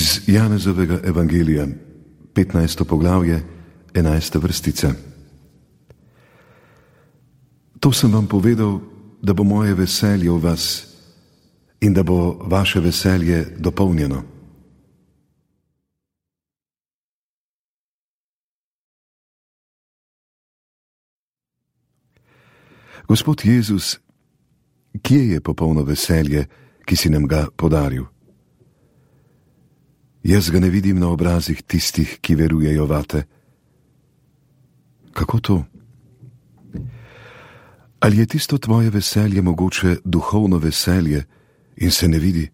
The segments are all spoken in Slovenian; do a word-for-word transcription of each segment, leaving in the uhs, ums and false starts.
Iz Janezovega evangelija, petnajsto poglavje, enajsta vrstica. To sem vam povedal, da bo moje veselje v vas in da bo vaše veselje dopolnjeno. Gospod Jezus, kje je popolno veselje, ki si nam ga podaril? Jaz ga ne vidim na obrazih tistih, ki verujejo vate. Kako to? Ali je tisto tvoje veselje mogoče duhovno veselje in se ne vidi?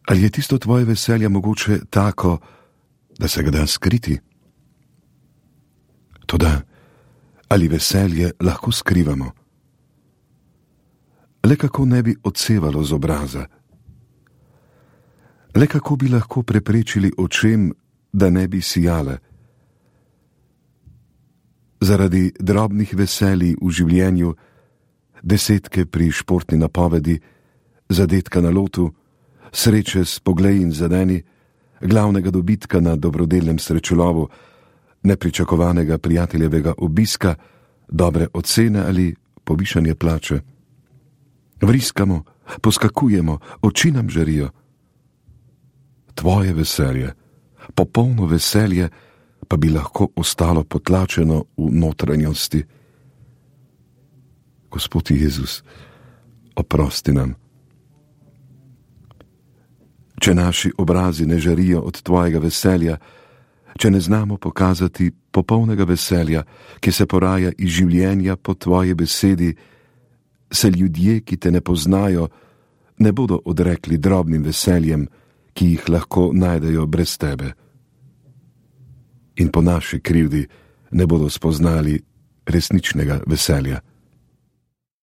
Ali je tisto tvoje veselje mogoče tako, da se ga da skriti? Toda, ali veselje lahko skrivamo? Le kako ne bi odsevalo z obraza? Le kako bi lahko preprečili očem, da ne bi sijale? Zaradi drobnih veselij v življenju, desetke pri športni napovedi, zadetka na lotu, sreče s pogleji in zadeni, glavnega dobitka na dobrodelnem srečolovu, nepričakovanega prijateljevega obiska, dobre ocene ali povišanje plače. Vriskamo, poskakujemo, oči nam žarijo. Tvoje veselje, popolno veselje, pa bi lahko ostalo potlačeno v notranjosti. Gospod Jezus, oprosti nam. Če naši obrazi ne žarijo od tvojega veselja, če ne znamo pokazati popolnega veselja, ki se poraja iz življenja po tvoji besedi, se ljudje, ki te ne poznajo, ne bodo odrekli drobnim veseljem, ki jih lahko najdejo brez tebe. In po naši krivdi ne bodo spoznali resničnega veselja.